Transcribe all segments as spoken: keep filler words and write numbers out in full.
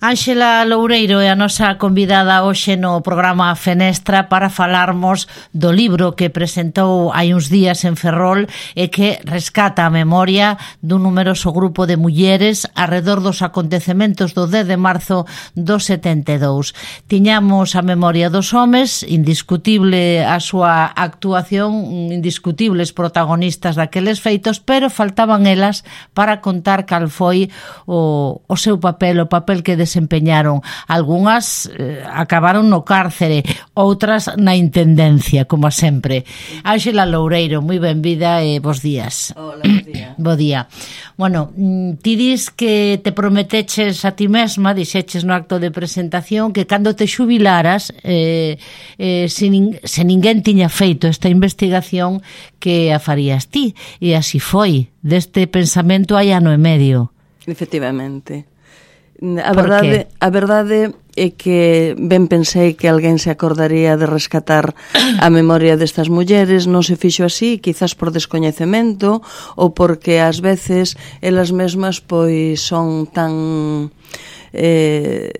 Ánxela Loureiro é a nosa convidada hoxe no programa Fenestra para falarmos do libro que presentou hai uns días en Ferrol e que rescata a memoria dun numeroso grupo de mulleres arredor dos acontecementos do dez de marzo do setenta e dous. Tiñamos a memoria dos homes, indiscutible a súa actuación, indiscutibles protagonistas daqueles feitos, pero faltaban elas para contar cal foi o, o seu papel, o papel que desempeñaron. Algunhas eh, acabaron no cárcere, outras na intendencia, como sempre. Ánxela Loureiro, moi benvida e bos días. Hola, bos días. Bo día. Bueno, ti dis que te prometeches a ti mesma, dixeches no acto de presentación, que cando te xubilaras, eh, eh, se, nin, se ninguén tiña feito esta investigación, que a farías ti. E así foi. Deste pensamento hai ano e medio. Efectivamente. A verdade, a verdade é que ben pensei que alguén se acordaría de rescatar a memoria destas mulleres, non se fixo así, quizás por descoñecemento ou porque ás veces elas mesmas pois son tan eh,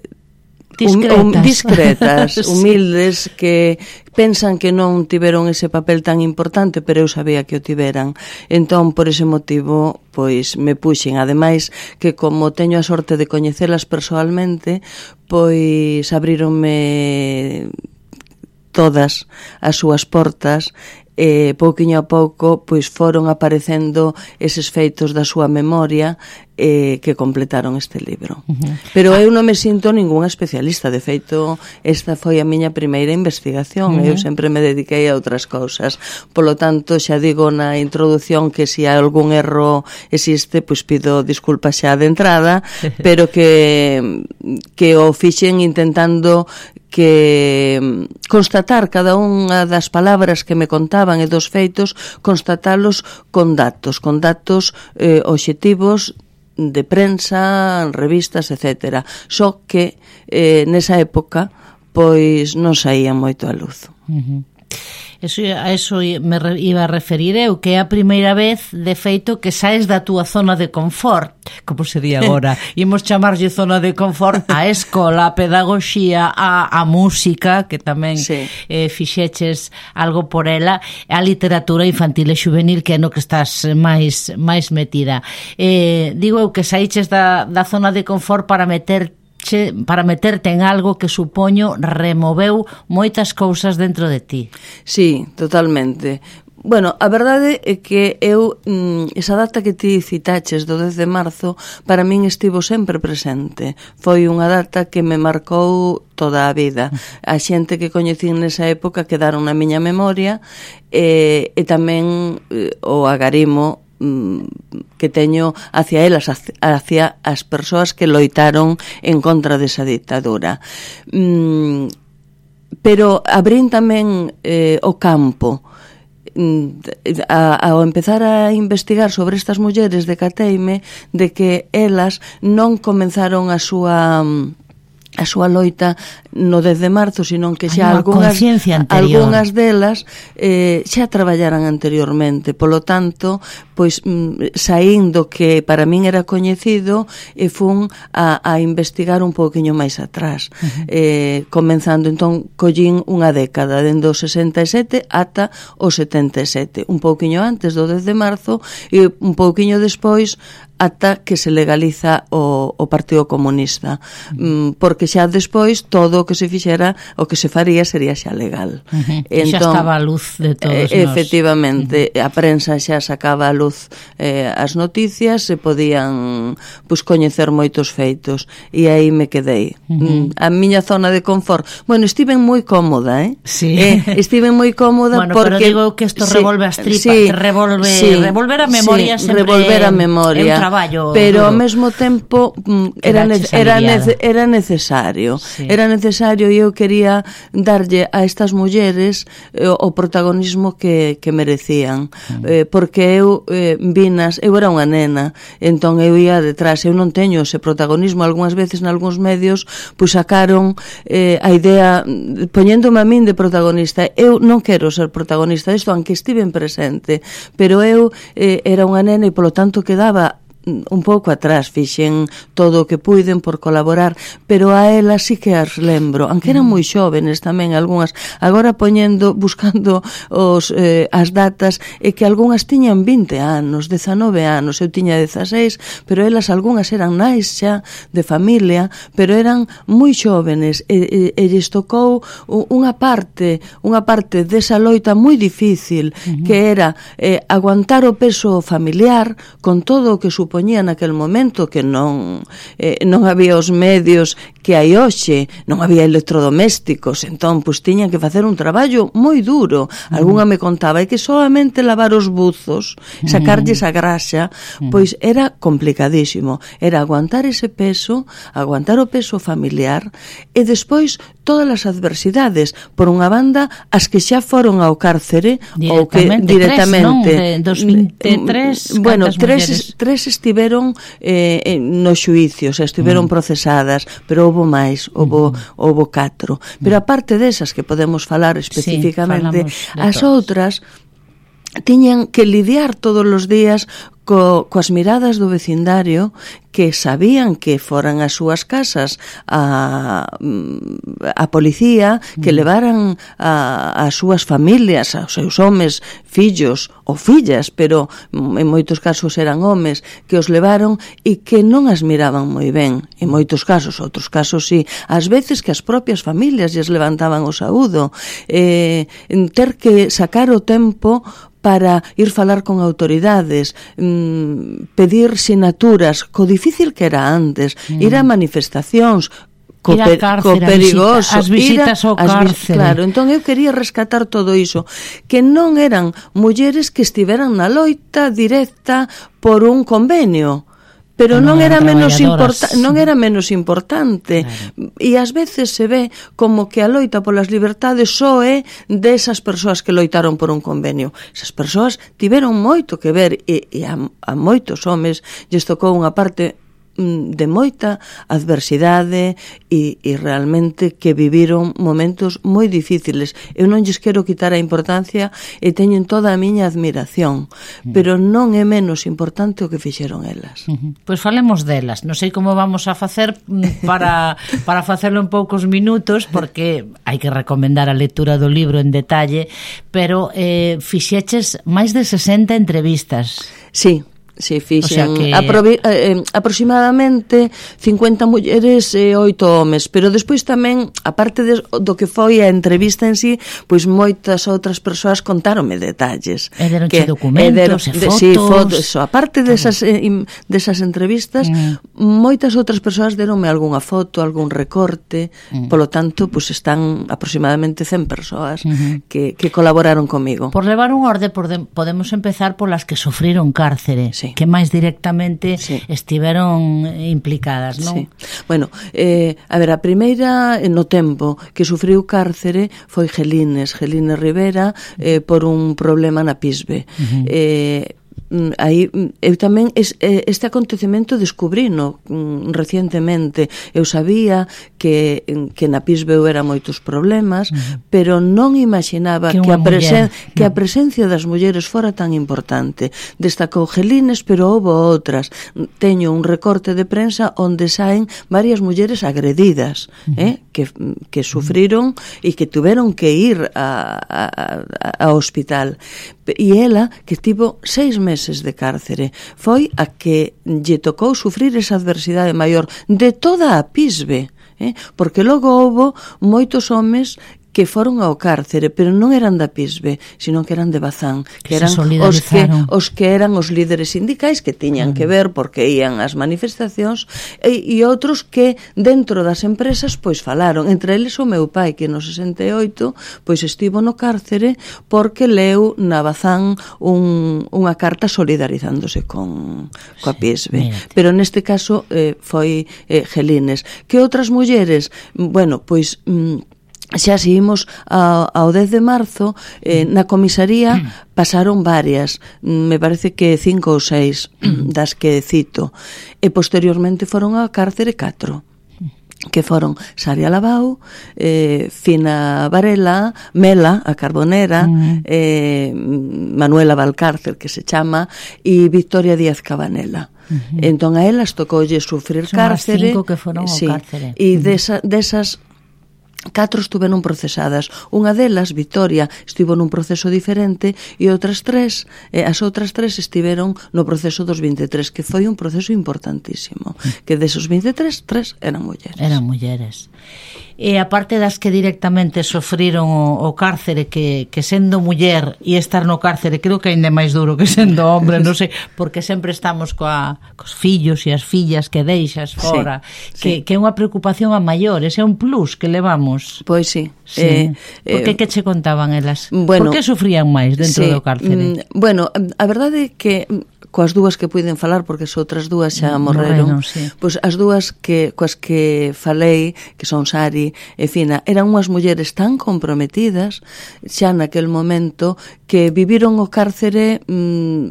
discretas, um, um, discretas sí. humildes, que pensan que non tiveron ese papel tan importante, pero eu sabía que o tiveran. Entón, por ese motivo, pois me puxen. Ademais, que como teño a sorte de coñecelas persoalmente, pois abríronme todas as súas portas, e pouquiño a pouco pois foron aparecendo eses feitos da súa memoria eh, que completaron este libro. Uh-huh. Pero eu non me sinto ningunha especialista. De feito, esta foi a miña primeira investigación. Uh-huh. Eu sempre me dediquei a outras cousas. Polo tanto, xa digo na introdución que se algún erro existe, pois pido disculpas xa de entrada, pero que que o fixen intentando que constatar cada unha das palabras que me contaban e dos feitos, constatalos con datos, con datos eh, obxectivos de prensa, revistas, etcétera. Só que eh, nesa época pois non saía moito a luz. Uh-huh. Eso, a eso me iba a referir eu, que é a primeira vez, de feito, que saes da túa zona de confort, como sería agora. Imos chamarlle zona de confort a escola, a pedagogía, a, a música, que tamén sí. eh, fixeches algo por ela, a literatura infantil e juvenil, que é no que estás máis, máis metida. Eh, digo eu que saíches da, da zona de confort para meter para meterte en algo que supoño removeu moitas cousas dentro de ti. Sí, totalmente. Bueno, a verdade é que eu, esa data que ti citaches do dez de marzo, para min estivo sempre presente. Foi unha data que me marcou toda a vida. A xente que coñecín nesa época quedaron na miña memoria, e, e tamén o agarimo que teño hacia elas, hacia as persoas que loitaron en contra desa ditadura. Mm, pero abrín tamén eh, o campo. A, ao empezar a investigar sobre estas mulleres, decateime de que elas non comenzaron a súa a súa loita no dez de marzo, senón que xa algunhas, algunhas delas eh, xa traballaran anteriormente. Polo tanto, pois mm, saíndo que para min era coñecido, e fun a, a investigar un pouquiño máis atrás. Uh-huh. eh, comenzando, entón, collín unha década, dende o sesenta e sete ata o setenta e sete, un pouquiño antes do dez de marzo e un pouquiño despois ata que se legaliza o, o Partido Comunista, uh-huh. mm, porque xa despois todo o que se fixera, o que se faría sería xa legal. Uh-huh. Entón, xa estaba a luz de todos eh, efectivamente, uh-huh. a prensa xa sacaba a luz eh, as noticias, se podían pues, coñecer moitos feitos, e aí me quedei. Uh-huh. A miña zona de confort, bueno, estiven moi cómoda, eh? Sí. eh estiven moi cómoda, bueno, porque... pero digo que isto sí, revolve as tripas, sí, revolve, sí, revolver a memoria sí, sempre revolver a memoria. Traballo pero duro. Ao mesmo tempo mm, era, ne era, nece era necesario sí. era necesario e eu quería darlle a estas mulleres eh, o protagonismo que, que merecían mm. eh, porque eu eh, vinas, eu era unha nena, entón eu ia detrás, eu non teño ese protagonismo. Algúnas veces nalgúns medios pois sacaron eh, a idea poñéndome a min de protagonista. Eu non quero ser protagonista disto, aunque estiven presente, pero eu eh, era unha nena e polo tanto quedaba un pouco atrás, fixen todo o que puiden por colaborar, pero a elas sí que as lembro, aunque eran moi xóvenes tamén algunhas, agora poñendo, buscando os, eh, as datas, e que algunhas tiñan vinte anos, dezanove anos, eu tiña dezaseis, pero elas algunhas eran nais xa de familia, pero eran moi xóvenes, e, e, e lles tocou unha parte, unha parte desa loita moi difícil, uh-huh. que era eh, aguantar o peso familiar con todo o que supoñía naquel momento, que non eh, non había os medios que hai hoxe, non había electrodomésticos, entón, pois, tiñan que facer un traballo moi duro. Uh-huh. Algunha me contaba, é que solamente lavar os buzos, sacarlles a graxa, pois era complicadísimo. Era aguantar ese peso, aguantar o peso familiar, e despois todas as adversidades, por unha banda, as que xa foron ao cárcere, ou que directamente, tres, non? De dos vinte e tres, bueno, tres, tres estiveron eh, no xuicio, o sea, estiveron mm. procesadas, pero houbo máis, houbo, mm. houbo catro. Pero aparte desas que podemos falar especificamente, sí, as outras tiñan que lidiar todos os días co, coas miradas do vecindario, que sabían que foran as súas casas a, a policía, que levaran a, as súas familias, aos seus homes, fillos ou fillas, pero en moitos casos eran homes, que os levaron e que non as miraban moi ben. En moitos casos, outros casos sí. Ás veces que as propias familias lles levantaban o saúdo. Eh, ter que sacar o tempo para ir falar con autoridades, mmm, pedir sinaturas, co difícil que era antes, mm. ir a manifestacións, co, ir a cárcere, co perigoso, as visitas ao cárcere. Claro, entón eu quería rescatar todo iso, que non eran mulleres que estiveran na loita directa por un convenio, pero non, non era menos importa, non era menos importante. Claro. E ás veces se ve como que a loita polas libertades só é desas persoas que loitaron por un convenio. Esas persoas tiveron moito que ver, e, e a, a moitos homes lles tocou unha parte de moita adversidade e, e realmente que viviron momentos moi difíciles. Eu non lles quero quitar a importancia e teñen toda a miña admiración, mm. pero non é menos importante o que fixeron elas. Uh-huh. Pois falemos delas. Non sei como vamos a facer para, para facelo en poucos minutos, porque hai que recomendar a lectura do libro en detalle, pero eh, fixeches máis de sesenta entrevistas. Sí. Sí, fixen, o sea que... aprovi, eh, aproximadamente cincuenta mulleres e oito homes, pero despois tamén, aparte de, do que foi a entrevista en sí, pois moitas outras persoas contáronme detalles. E deronche documentos e fotos. Sí, fotos, eso. Aparte desas, eh, desas entrevistas, mm. moitas outras persoas deronme algunha foto, algún recorte, mm. polo tanto, pois están aproximadamente cen persoas mm-hmm. que, que colaboraron comigo. Por levar un orde, podemos empezar polas que sufriron cárcere. Sí. Que máis directamente sí. estiveron implicadas, non? Sí. Bueno, eh, a ver, a primeira no tempo que sufriu cárcere foi Gelines, Gelines Rivera, eh, por un problema na Pisbe. Uh-huh. Eh, aí eu tamén este acontecemento descubrino recientemente. Eu sabía que, que na Pisbe era moitos problemas, uh-huh. pero non imaginaba que, que, a presen, que a presencia das mulleres fora tan importante. Destacou Gelines, pero houve outras. Teño un recorte de prensa onde saen varias mulleres agredidas, uh-huh. eh, que, que sufriron e que tuveron que ir a, a, a, ao hospital. E ela, que tivo seis meses de cárcere, foi a que lle tocou sufrir esa adversidade maior de toda a Pisbe, eh? Porque logo houbo moitos homes que foron ao cárcere, pero non eran da Pisbe, sino que eran de Bazán, que, que eran os que, os que eran os líderes sindicais que tiñan uh-huh. que ver porque ían ás manifestacións, e, e outros que dentro das empresas pois falaron, entre eles o meu pai, que no sesenta e oito pois estivo no cárcere porque leu na Bazán un, unha carta solidarizándose con coa Pisbe. Sí, pero neste caso eh, foi eh, Gelines. Que outras mulleres? Bueno, pois mm, xa seguimos ao, ao dez de marzo, eh, na comisaría pasaron varias, me parece que cinco ou seis das que cito, e posteriormente foron á cárcere catro. que foron Saria Labau, eh, Fina Varela, Mela, a Carbonera, mm. eh, Manuela Valcárcel, que se chama, e Victoria Díaz Cabanela. Uh-huh. Entón a elas tocoulle sufrir Son cárcere. Son as cinco que foron sí, ao cárcere. E uh-huh. desa, desas catro estuveron procesadas. Unha delas, Victoria, estivo nun proceso diferente e outras tres, eh, as outras tres estiveron no proceso dos vinte e tres, que foi un proceso importantísimo. Que desos vinte e tres, tres eran mulleres. Eran mulleres. E aparte das que directamente sofriron o, o cárcere, que, que sendo muller e estar no cárcere, creo que ainda é máis duro que sendo hombre, non sei, porque sempre estamos coa, cos fillos e as fillas que deixas fora, sí, que, sí. que é unha preocupación a maiores, é un plus que levamos. Pois sí. Sí. Eh, Por que eh, que che contaban elas? Bueno, Por que sufrían máis dentro sí, do cárcere? Mm, bueno, a verdade é que coas dúas que puiden falar, porque as outras dúas xa morreron, morreron sí. pois as dúas que coas que falei, que son Sari e Fina, eran unhas mulleres tan comprometidas xa naquel momento que viviron o cárcere mmm,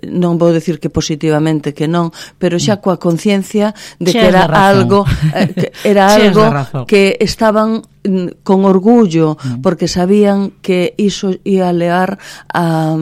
non vou decir que positivamente que non, pero xa coa conciencia de que era algo eh, que era algo que estaban con orgullo, porque sabían que iso ia levar a,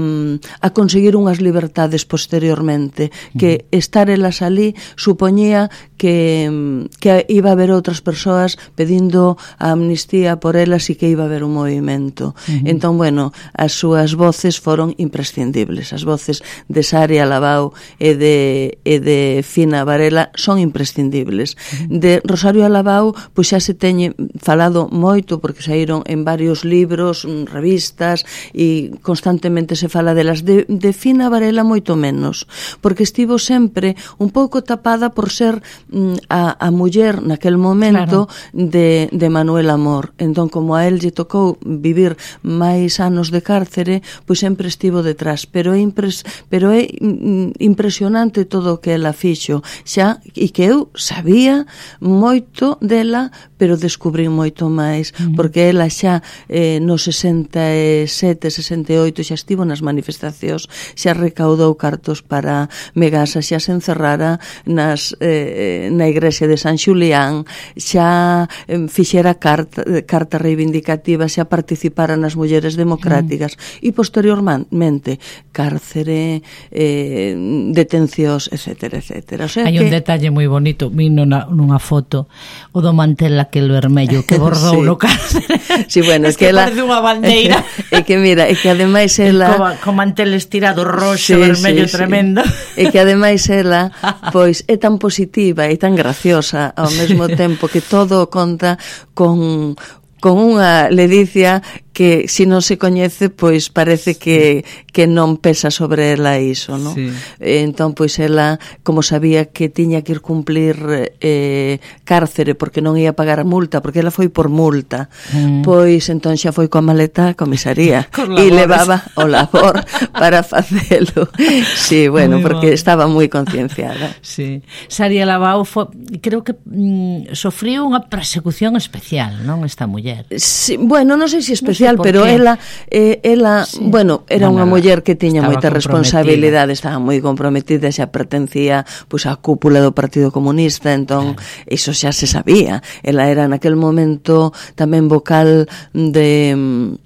a conseguir unhas libertades posteriormente, que estar elas ali supoñía que, que iba a haber outras persoas pedindo a amnistía por elas e que iba a haber un movimento. Uh-huh. Entón, bueno, as súas voces foron imprescindibles. As voces de Saria Labau e de, e de Fina Varela son imprescindibles. Uh-huh. De Rosario Labau, pois xa se teñe falado moito, porque saíron en varios libros, revistas, e constantemente se fala delas. De, de Fina Varela moito menos, porque estivo sempre un pouco tapada por ser mm, a, a muller naquel momento, claro, de, de Manuel Amor. Entón, como a él lle tocou vivir máis anos de cárcere, pois sempre estivo detrás, pero é, impres, pero é mm, impresionante todo o que ela fixo xa, e que eu sabía moito dela, pero descubrí moito máis, porque ela xa eh, no sesenta e sete, sesenta e oito xa estivo nas manifestacións, xa recaudou cartos para Megasa, xa se encerrara nas, eh, na igrexa de San Xulián, xa eh, fixera carta, carta reivindicativa, xa participara nas mulleres democráticas, mm. e posteriormente cárcere, eh, detencións, etcétera, etcétera. O sea, hai que... un detalle moi bonito, vi nunha, nunha foto, o do mantel aquel vermello que bordou sí. no cárcere. Sí, bueno, es que, que ela... parece unha bandeira. E que mira, e que ademais ela... Con, con mantel estirado roxo, sí, vermello, sí, tremendo. Sí. E que ademais ela, pois, é tan positiva e tan graciosa ao mesmo tempo, que todo conta con... con unha ledicia que, se non se coñece, pois parece que, que non pesa sobre ela iso, non? Sí. Entón, pois ela, como sabía que tiña que ir cumplir eh, cárcere porque non ia pagar a multa, porque ela foi por multa, mm. pois entón xa foi coa maleta a comisaría e levaba o labor para facelo. Sí, bueno, muy porque bon. Estaba moi concienciada. Sí. Saria Labau fo, creo que mm, sofriu unha persecución especial, non, esta muller? Sí, bueno, non sei se especial, no sé, pero qué. ela, eh, ela sí. bueno, era bueno, unha muller que tiña moita responsabilidade, estaba moi comprometida, xa pertencía pois á cúpula do Partido Comunista, entón claro. iso xa se sabía. Ela era naquel momento tamén vocal de...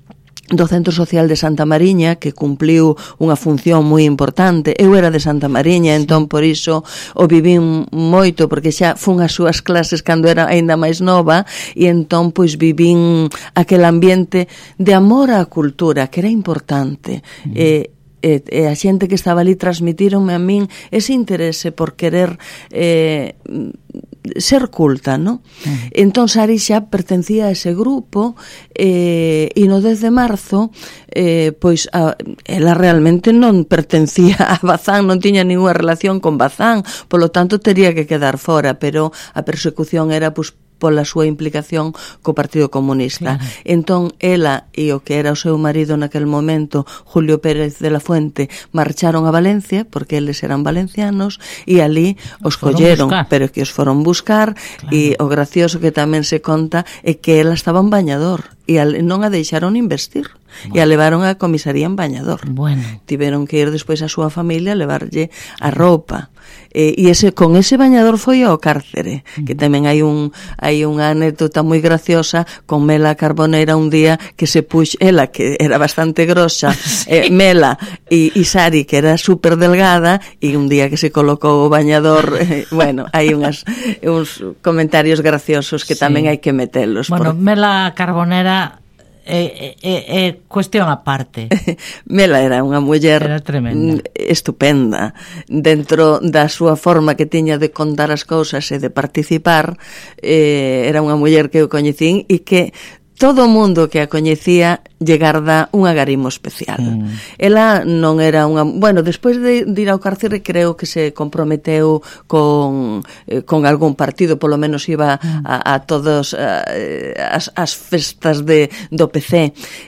do Centro Social de Santa Mariña, que cumpliu unha función moi importante. Eu era de Santa Mariña, entón por iso o vivín moito, porque xa fun as súas clases cando era aínda máis nova, e entón pois vivín aquel ambiente de amor á cultura, que era importante. Mm. E E, e a xente que estaba ali transmitironme a min ese interese por querer eh, ser culta, ¿no? Uh-huh. Entón Sari xa pertencía a ese grupo, eh, e no dez de marzo eh, pois a, ela realmente non pertencía a Bazán, non tiña ninguna relación con Bazán, polo tanto tería que quedar fora, pero a persecución era pois pola súa implicación co Partido Comunista. Claro. Entón, ela e o que era o seu marido naquel momento, Julio Pérez de la Fuente, marcharon a Valencia, porque eles eran valencianos, e ali os colleron, pero que os foron buscar, claro. E o gracioso que tamén se conta é que ela estaba en bañador, e a, non a deixaron investir. Bueno. E a levaron á comisaría en Bañador. Bueno. Tiveron que ir despois a súa familia a levarlle a roupa. E, e ese, con ese Bañador foi ao cárcere, uh-huh. que tamén hai un hai unha anécdota moi graciosa con Mela Carbonera un día que se puxo, ela que era bastante grosa, sí. eh, Mela e, e Sari que era super delgada, e un día que se colocou o bañador, eh, bueno, hai unhas, uns comentarios graciosos que sí. tamén hai que metelos. Bueno, por... Mela Carbonera é, é, é cuestión aparte. Mela era unha muller estupenda dentro da súa forma que tiña de contar as cousas e de participar. Eh, era unha muller que eu coñecín e que todo o mundo que a coñecía lle garda un agarimo especial. Mm. Ela non era unha... Bueno, despois de, de ir ao cárcere creo que se comprometeu con, eh, con algún partido, polo menos iba mm. a, a todas eh, as, as festas de, do P C.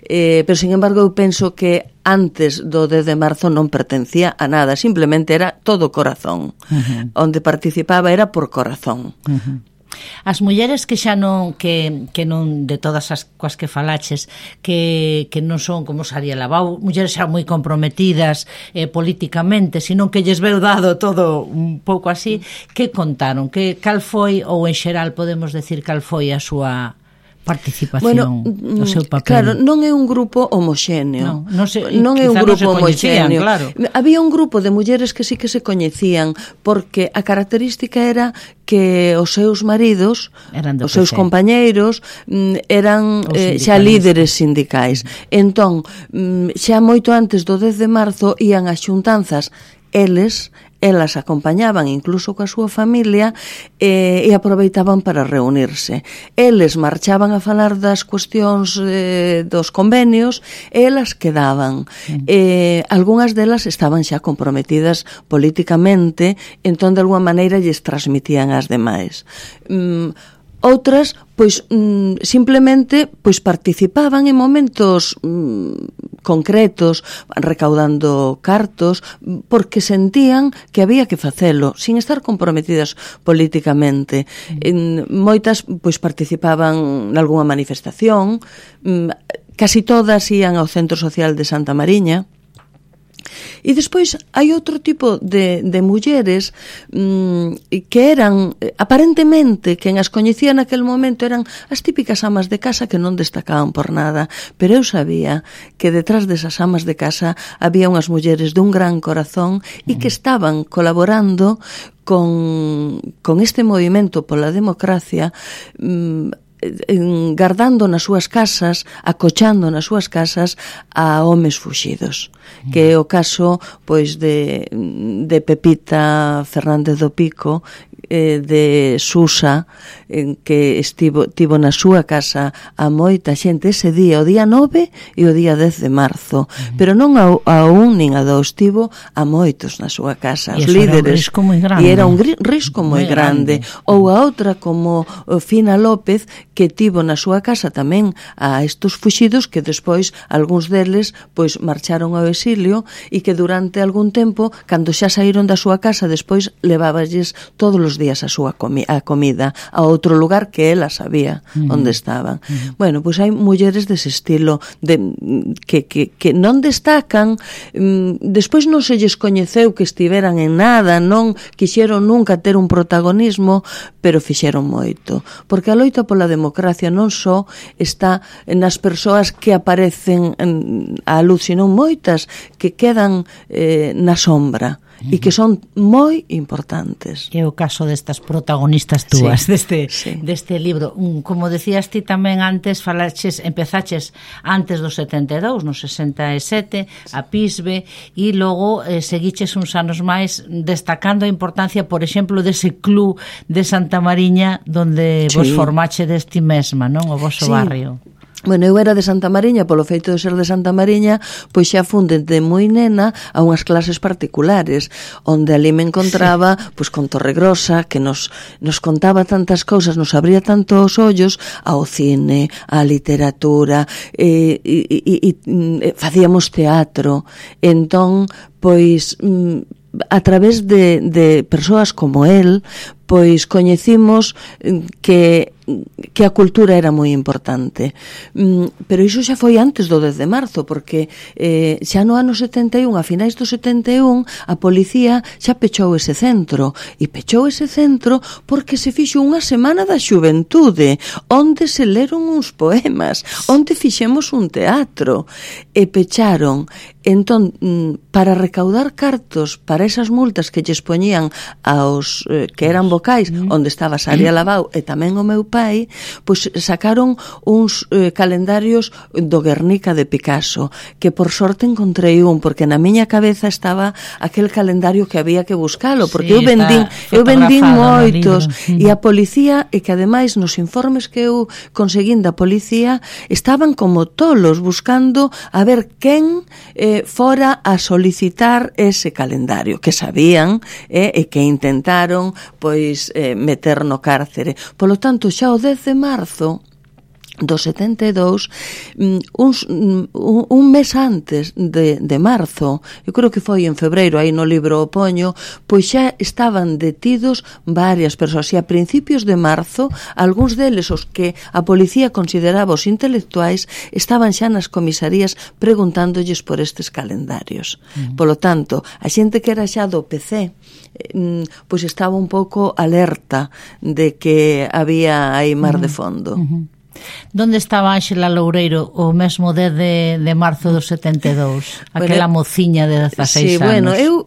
Eh, pero, sin embargo, eu penso que antes do dez de marzo non pertencía a nada, simplemente era todo corazón. Mm-hmm. Onde participaba era por corazón. Mm-hmm. As mulleres que xa non que, que non de todas as coas que falaches que, que non son como Saria Labau, mulleres xa moi comprometidas eh, políticamente, sino que lles veu dado todo un pouco así, que contaron, que cal foi, ou en xeral podemos decir cal foi a súa participación, bueno, o seu papel. Claro, non é un grupo homoxéneo. No, non, se, non é un grupo non homoxéneo. Claro. Había un grupo de mulleres que sí que se coñecían, porque a característica era que os seus maridos, os seus compañeiros, eran eh, xa líderes sindicais. Entón, xa moito antes do dez de marzo ían as xuntanzas, eles elas acompañaban incluso coa súa familia eh, e aproveitaban para reunirse. Eles marchaban a falar das cuestións eh, dos convenios e elas quedaban. Mm. Eh, algunhas delas estaban xa comprometidas políticamente, entón de alguma maneira lles transmitían as demais. Mm, outras, pois, mm, simplemente pois participaban en momentos mm, concretos, recaudando cartos, porque sentían que había que facelo, sin estar comprometidas políticamente. Mm. En, moitas, pois, participaban nalgúna manifestación, mm, casi todas ían ao Centro Social de Santa Mariña. E despois hai outro tipo de, de mulleres mmm, que eran, aparentemente, quen as coñecía naquele momento eran as típicas amas de casa que non destacaban por nada, pero eu sabía que detrás desas amas de casa había unhas mulleres dun gran corazón e que estaban colaborando con, con este movimento pola democracia, mmm, gardando nas súas casas, acochando nas súas casas a homes fuxidos, que é o caso pois de, de Pepita Fernández do Pico, eh, de Susa, en que estivo tivo na súa casa a moita xente ese día, o día nove e o día dez de marzo, uh-huh. pero non a, a un nin a dous, tivo a moitos na súa casa, os líderes, era e era un risco moi grande. grande. Ou a outra como Fina López, que tivo na súa casa tamén a estos fuxidos que despois algúns deles pois marcharon ao exilio e que durante algún tempo, cando xa saíron da súa casa, despois leváballes todos os días a súa comi a comida a outro lugar que ela sabía uh-huh. onde estaban. Uh-huh. Bueno, pois hai mulleres dese estilo de, que, que, que non destacan, um, despois non se lles coñeceu que estiveran en nada, non quixeron nunca ter un protagonismo, pero fixeron moito, porque a loita pola democracia non só está nas persoas que aparecen á luz, sino moitas que quedan eh, na sombra e que son moi importantes. É o caso destas protagonistas túas, sí, deste, sí. deste libro. Como decías ti tamén antes, falaches, empezaches antes do setenta e dous, no sesenta e sete, a Pisbe, e logo eh, seguiches uns anos máis destacando a importancia, por exemplo, dese club de Santa Mariña, donde sí. vos formache deste mesma, non? O vosso sí. barrio. Bueno, eu era de Santa Mariña, polo feito de ser de Santa Mariña, pois xa fun de moi nena a unhas clases particulares, onde ali me encontraba sí. pois con Torregrosa, que nos, nos contaba tantas cousas, nos abría tanto os ollos ao cine, á literatura, e, e, e, e, e facíamos teatro. Entón, pois, a través de, de persoas como él, pois coñecimos que que a cultura era moi importante. Mm, pero iso xa foi antes do dez de marzo, porque eh, xa no ano setenta e un, a finais do setenta e un, a policía xa pechou ese centro, e pechou ese centro porque se fixo unha semana da xuventude, onde se leron uns poemas, onde fixemos un teatro, e pecharon. Entón, para recaudar cartos para esas multas que lles poñían aos eh, que eran vocais, mm. onde estaba Saria Labau e tamén o meu pai, pois sacaron uns eh, calendarios do Guernica de Picasso, que por sorte encontrei un, porque na miña cabeza estaba aquel calendario que había que buscalo, porque sí, eu vendín, eu vendín moitos, e a policía, e que ademais nos informes que eu conseguín da policía, estaban como tolos buscando a ver quen eh, fora a solicitar ese calendario, que sabían eh, e que intentaron pois eh, meter no cárcere. Polo tanto, xa o dez de marzo do setenta e dous, uns, un, un mes antes de, de marzo, eu creo que foi en febreiro, aí no libro o poño, pois xa estaban detidos varias persoas, e a principios de marzo, algúns deles, os que a policía consideraba os intelectuais, estaban xa nas comisarías preguntándolles por estes calendarios. Mm. Polo tanto, a xente que era xa do P C, pois estaba un pouco alerta de que había aí mar mm. de fondo. Mm-hmm. Donde estaba Ánxela Loureiro o mesmo dez de, de marzo do setenta e dous? Aquela bueno, mociña de dezaseis sí, anos. Bueno, eu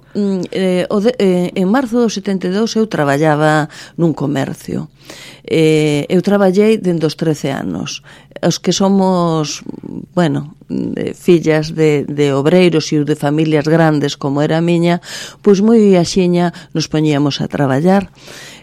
eh, o de, eh, en marzo do setenta e dous eu traballaba nun comercio. Eh, eu traballei dende os trece anos. Os que somos, bueno, de fillas de, de obreiros e de familias grandes como era a miña, pois moi axiña nos poñíamos a traballar.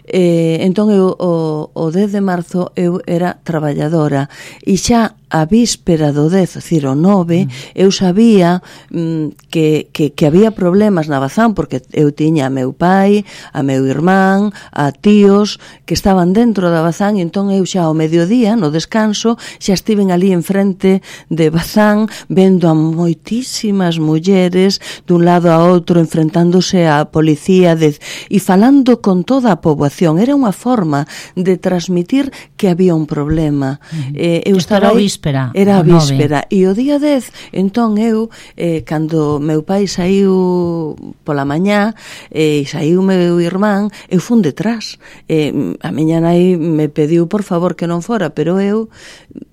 Eh, entón eu o, o dez de marzo eu era traballadora, e xa a víspera do dez, é dicir, o nove, mm. eu sabía mm, que, que, que había problemas na Bazán, porque eu tiña a meu pai, a meu irmán, a tíos que estaban dentro da Bazán, e entón eu xa ao mediodía, no descanso, xa estiven ali enfrente de Bazán, vendo a moitísimas mulleres dun lado a outro, enfrentándose á policía de, e falando con toda a poboación. Era unha forma de transmitir que había un problema. Mm. Eh, eu estaba aí, víspera. Era a víspera. E o día dez, entón eu, eh, cando meu pai saiu pola mañá, e eh, saiu meu irmán, eu fun detrás. Eh, a miña nai me pediu, por favor, que non fora, pero eu,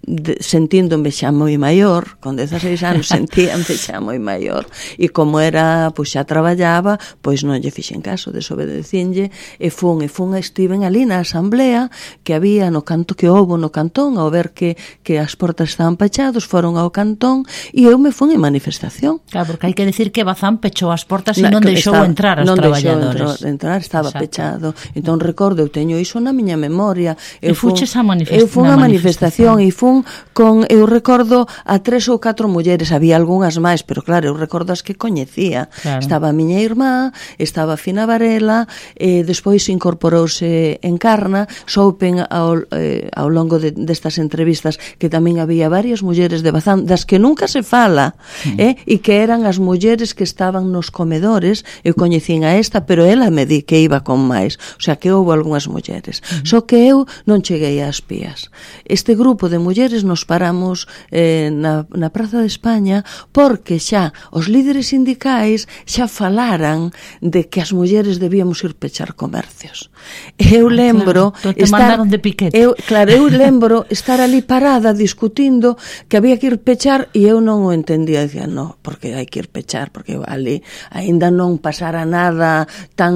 de, sentíndome xa moi maior, con dezaseis anos, sentíame xa moi maior. E como era, pois xa traballaba, pois non lle fixen caso, desobedecinlle, e fun, e fun, estiven ali na asamblea que había no canto que houbo no cantón, ao ver que, que as portas estaban pechados, foron ao cantón, e eu me fun en manifestación. Claro, porque hai que decir que Bazán pechou as portas e non deixou estaba, entrar as non traballadores. Non deixou entrar, estaba Exacto. pechado. Entón recordo, eu teño iso na miña memoria. Eu e fuches a manifestación. Eu fun a manifestación e fun con, eu recordo a tres ou catro mulleres, había algunhas máis, pero claro, eu recordo as que coñecía. Claro. Estaba a miña irmá, estaba Fina Varela, e despois incorporouse Encarna, soupen ao, eh, ao longo de, destas entrevistas que tamén había varias mulleres de Bazán, das que nunca se fala, mm. eh, e que eran as mulleres que estaban nos comedores. Eu coñecín a esta, pero ela me di que iba con máis, o sea que houve algunhas mulleres. Mm. Só que eu non cheguei ás pías. Este grupo de mulleres nos paramos eh, na, na Praza de España, porque xa os líderes sindicais xa falaran de que as mulleres debíamos ir pechar comercios. Eu lembro ah, claro. Te estar, mandaron de piquete. Eu, claro, eu lembro estar ali parada discutindo que había que ir pechar, e eu non o entendía, dicía, no, porque hai que ir pechar, porque ali aínda non pasara nada tan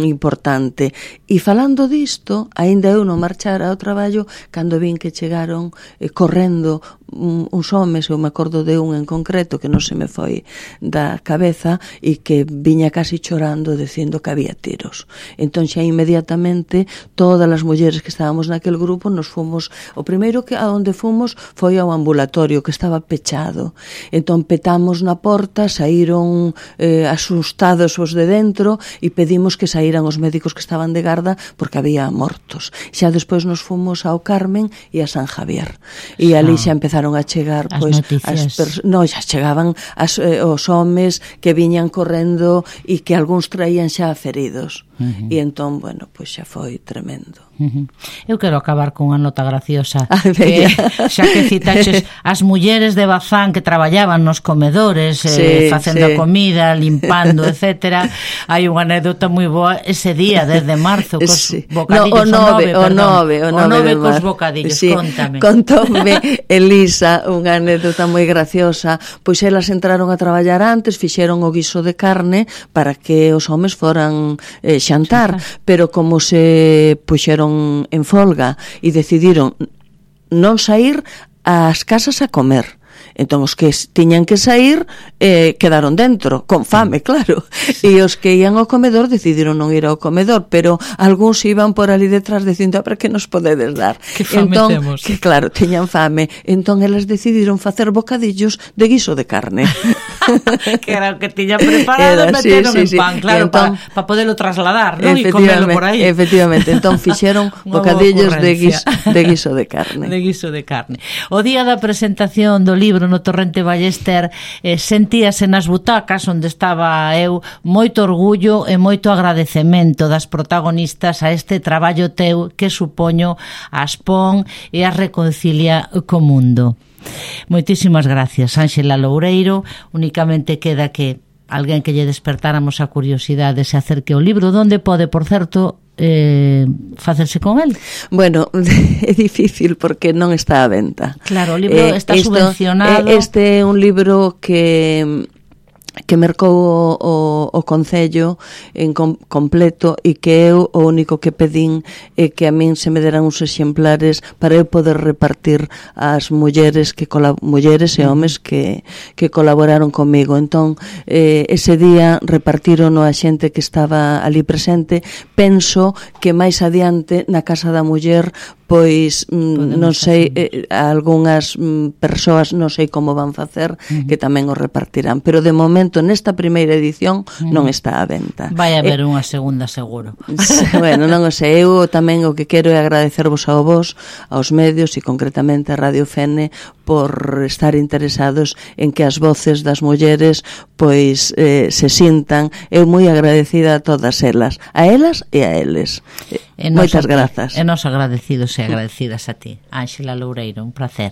importante. E falando disto, aínda eu non marchara ao traballo cando vin que chegaron eh, correndo uns homes, eu me acordo de un en concreto que non se me foi da cabeza, e que viña casi chorando dicindo que había tiros. Entón xa inmediatamente todas as mulleres que estábamos naquel grupo nos fomos, o primeiro que a onde fomos foi ao ambulatorio que estaba pechado. Entón petamos na porta, saíron eh, asustados os de dentro, e pedimos que saíran os médicos que estaban de garda porque había mortos. Xa despois nos fomos ao Carmen e a San Javier, e ali xa empezaron a chegar as pois noticias. As no, xa chegaban as, eh, os homes que viñan correndo e que algúns traían xa feridos. Uh-huh. E entón, bueno, pois xa foi tremendo. Uh-huh. Eu quero acabar con unha nota graciosa que, xa que citaches as mulleres de Bazán que traballaban nos comedores, sí, eh, facendo sí. a comida, limpando, etcétera. Hai unha anécdota moi boa ese día, desde marzo, cos sí. bocadillos, no, o nove, o nove, o nove, o nove cos bocadillos, sí. Contame. Contoume Elisa unha anécdota moi graciosa, pois elas entraron a traballar antes, fixeron o guiso de carne para que os homes foran eh, xantar, xantar, pero como se puxeron en folga e decidiron non sair ás casas a comer. Entón os que tiñan que sair eh, quedaron dentro, con fame, claro. E os que ian ao comedor decidiron non ir ao comedor, pero algúns iban por ali detrás dicindo, para que nos podedes dar? Que fame entón, temos. Que claro, tiñan fame. Entón elas decidiron facer bocadillos de guiso de carne. Que era o que tiñan preparado, era, meteron sí, sí, en pan, sí. Claro, para pa poderlo trasladar, ¿no? E comerlo por aí. Efectivamente, entón fixeron bocadillos de guiso, de guiso de carne. De guiso de carne. O día da presentación do libro no Torrente Ballester, eh, sentíase nas butacas onde estaba eu moito orgullo e moito agradecemento das protagonistas a este traballo teu que supoño as pon e as reconcilia co mundo. Moitísimas gracias, Ánxela Loureiro. Únicamente queda que alguén que lle despertáramos a curiosidade se acerque ao libro. Donde pode, por certo, eh, facerse con el? Bueno, é difícil porque non está a venta. Claro, o libro eh, está esto, subvencionado. Este é un libro que que mercou o, o, o Concello en com, completo e que eu o único que pedín é que a min se me deran uns exemplares para eu poder repartir ás mulleres que mulleres e homes que, que colaboraron comigo. Entón, eh, ese día repartiron a xente que estaba ali presente. Penso que máis adiante na Casa da Muller pois mm, non sei, eh, algunhas mm, persoas non sei como van facer, uh-huh. que tamén o repartirán, pero de momento nesta primeira edición uh-huh. non está á venta. Vai haber eh, unha segunda seguro. Bueno, non o sei, eu tamén o que quero é agradecervos ao vos, aos medios e concretamente a Radio Fene por estar interesados en que as voces das mulleres pois eh, se sintan. Eu moi agradecida a todas elas, a elas e a eles. E moitas grazas. E nos agradecidos e agradecidas a ti, Ánxela Loureiro, un placer.